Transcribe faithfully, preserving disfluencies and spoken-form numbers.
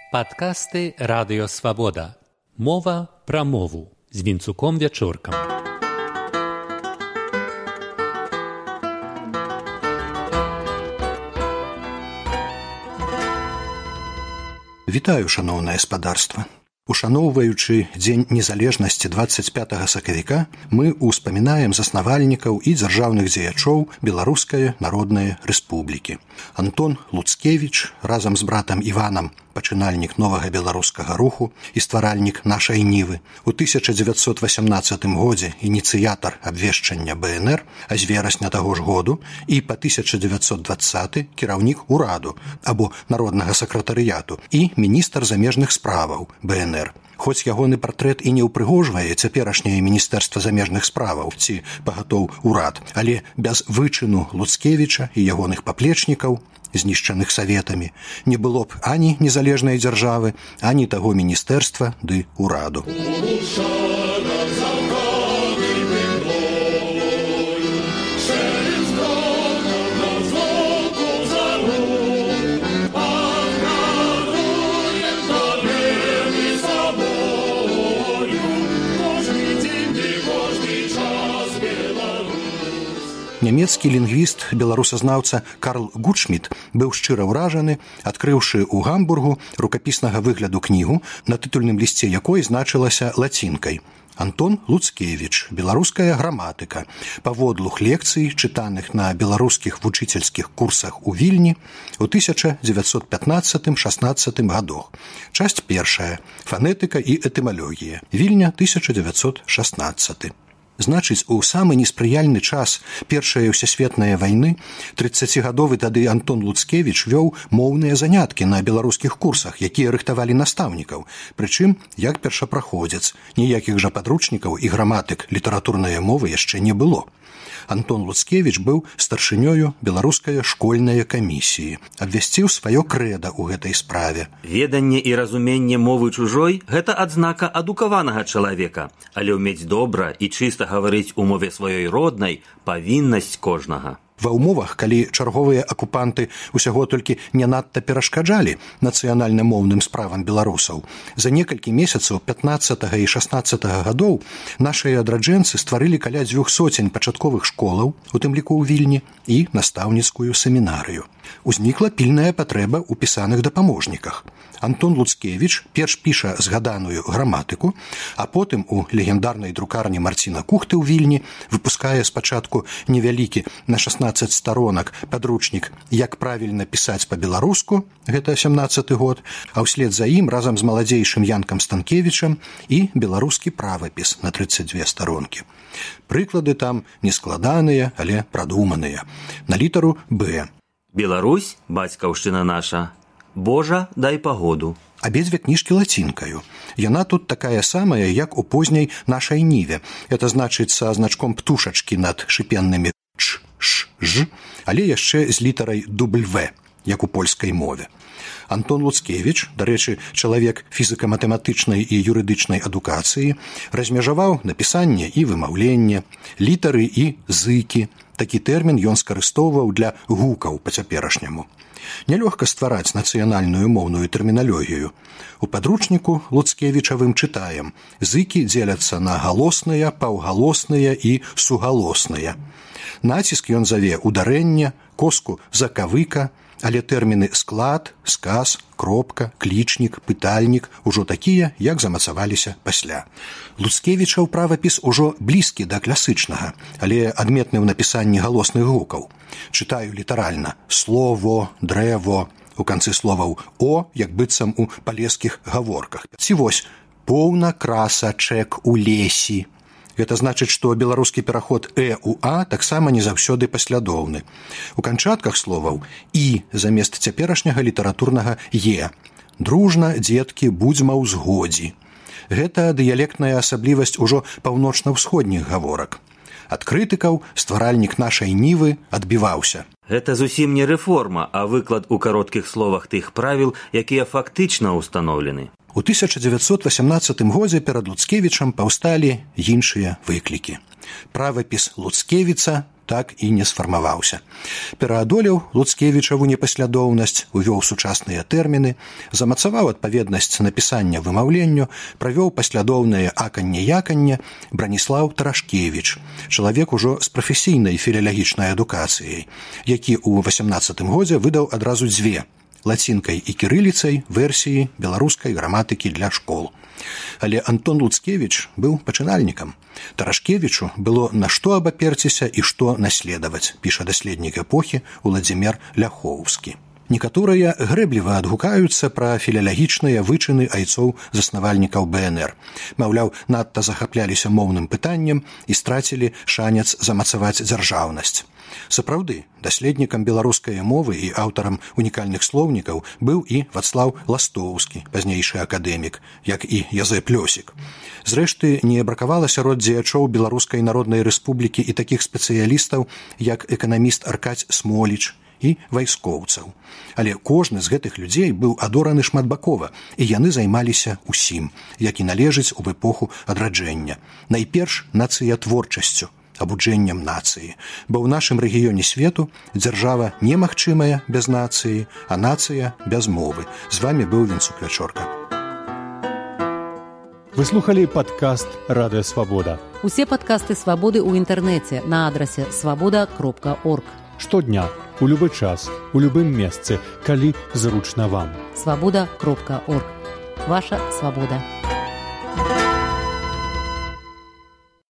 Падкасты Радыё Свабода. Мова пра мову з Вінцуком Вячоркам. Вітаю, шаноўнае спадарства. Ушаноўваючы Дзень незалежнасці дваццаць пятага сакавіка, мы ўспамінаем заснавальнікаў і дзяржаўных дзеячоў Беларускай Народнай Рэспублікі. Антон Луцкевіч разам з братам Іванам, пачынальнік новага беларускага руху і стваральнік нашай Нівы. У тысяча дзевяцьсот васямнаццатым годзе ініцыятар абвешчання бэ эн эр, а з верасня таго ж году, і па тысяча дзевяцьсот дваццаты кіраўнік ураду або народнага сакратарыяту і міністр замежных справаў бэ эн эр. Хоць ягоны партрэт і не ўпрыгожвае цяперашняе міністэрства замежных справаў ці пагатоў урад, але без вычыну Луцкевіча і ягоных паплечнікаў, знішчаных саветамі, не было б ані незалежнай дзяржавы, ані таго міністэрства ды ураду. Нямецкі лінгвіст, беларусазнаўца Карл Гутшміт быў шчыра ўражаны, адкрыўшы ў Гамбургу рукапіснага выгляду кнігу, на тытульным лісце якой значылася лацінкай «Антон Луцкевіч. Беларуская граматыка. Паводлух лекцый, чытаных на беларускіх вучыцельскіх курсах у Вільні ў тысяча дзевяцьсот пятнаццатым-шаснаццатым гадах. Часть першая. Фанетыка і этымалогія. Вільня, тысяча дзевяцьсот шаснаццаты. Значыць, у самы неспрыяльны час першай ўсесветнай вайны трыццацігадовы тады Антон Луцкевіч вёў моўныя заняткі на беларускіх курсах, якія рыхтавалі настаўнікаў, прычым як першапраходзец, ніякіх жа падручнікаў і граматык літаратурнай мовы яшчэ не было. Антон Луцкевіч быў старшынёю беларускай школьнай камісіі, абвясціў сваё крэда ў гэтай справе. Веданне і разуменне мовы чужой – гэта адзнака адукаванага чалавека, але ўмець добра і чыста гаварыць у мове сваёй роднай – павіннасць кожнага. Ва ўмовах, калі чарговыя акупанты ўсяго толькі не надта перашкаджалі нацыянальна-моўным справам беларусаў, за некалькі месяцаў пятнаццатага і шаснаццатага гадоў нашыя адраджэнцы стварылі каля дзвюх соцень пачатковых школаў, у тым ліку ў Вільні, і настаўніцкую семінарыю. Узнікла пільная патрэба ў пісаных дапаможніках. Антон Луцкевіч перш піша згаданую граматыку, а потым у легендарнай друкарні Марціна Кухты ў Вільні выпускае спачатку невялікі на шаснаццаць старонак падручнік «Як правільна пісаць па-беларуску», гэта сямнаццаты год, а ўслед за ім разам з маладзейшым Янкам Станкевічам і беларускі правапіс на трыццаць дзве старонкі. Прыклады там нескладаныя, але прадуманыя. На літару «Б». Беларусь, бацькаўшчына наша. Божа, дай пагоду. Абедзве кніжкі лацінкаю. Яна тут такая самая, як у позняй нашай Ніве. Это значыць са значком птушачкі над шыпеннымі «ч», «ш», «ж», але яшчэ з літарай «W», як у польскай мове. Антон Луцкевіч, дарэчы, чалавек фізіка-матэматычнай і юрыдычнай адукацыі, размежаваў напісанне і вымаўленне, літары і зыкі. Такі тэрмін ён скарыстоўваў для гукаў па-цяперашняму. Нялёгка ствараць нацыянальную моўную тэрміналогію. У падручніку Луцкевічавым чытаем: зыкі дзеляцца на галосныя, паўгалосныя і сугалосныя. Націск ён заве ударэнне, коску закавыка, але тэрміны склад, сказ, кропка, клічнік, пытальнік ужо такія, як замацаваліся пасля. Луцкевічаў правапіс ужо блізкі да класычнага, але адметны ў напісанні галосных гукаў. Чытаю літаральна: слово, дрэво, у канцы словаў «о», як быццам у палескіх гаворках. Ці вось «поўна красачэк у лесі». Гэта значыць, што беларускі пераход «э» у «а» таксама не заўсёды паслядоўны. У канчатках словаў «і» замест цяперашняга літаратурнага «е». Дружна, дзеткі, будзьма ў згодзі. Гэта дыялектная асаблівасць ужо паўночна-ўсходніх гаворак. Ад крытыкаў стваральнік нашай Нівы адбіваўся. Гэта зусім не рэформа, а выклад у кароткіх словах тых правіл, якія фактычна ўстаноўлены. У тысяча дзевяцьсот васямнаццатым годзе перад Луцкевічам паўсталі іншыя выклікі. Правапіс Луцкевіца так і не сфармаваўся. Пераадолеў Луцкевічаву непаслядоўнасць, увёў сучасныя тэрміны, замацаваў адпаведнасць напісання вымаўленню, правёў паслядоўнае аканне-яканне Браніслаў Тарашкевіч, чалавек ужо з прафесійнай філалагічнай адукацыяй, які ў васямнаццатым годзе выдаў адразу дзве лацінкай і кірыліцай версіі беларускай граматыкі для школ. Але Антон Луцкевіч быў пачынальнікам. Тарашкевічу было на што абаперціся і што наследаваць, піша даследнік эпохі Уладзімір Ляхоўскі. Некаторыя грэбліва адгукаюцца пра філалагічныя вычыны айцоў-заснавальнікаў бэ эн эр. Маўляў, надта захапляліся моўным пытаннем і страцілі шанец замацаваць дзяржаўнасць. Сапраўды, даследнікам беларускай мовы і аўтарам унікальных слоўнікаў быў і Вацлаў Ластоўскі, пазнейшы акадэмік, як і Язэп Лёсік. Зрэшты, не бракавала сярод дзеячоў Беларускай Народнай Рэспублікі і такіх спецыялістаў, як эканаміст Аркадзь Смоліч і вайскоўцаў. Але кожны з гэтых людзей быў адораны шматбакова, і яны займаліся усім, як і належыць у эпоху адраджэння. Найперш нацыятворчасцю, абуджэннем нацыі, бо ў нашым рэгіёне свету дзяржава немагчымая без нацыі, а нацыя без мовы. З вамі быў Вінцук Вячорка. Вы слухали падкаст «Радыё Свабода». Усе падкасты Свабоды ў інтэрнэце на адрасе свабода кропка орг. Штодня, у любы час, у любым месцы, калі зручна вам. свабода кропка орг. Ваша свабода.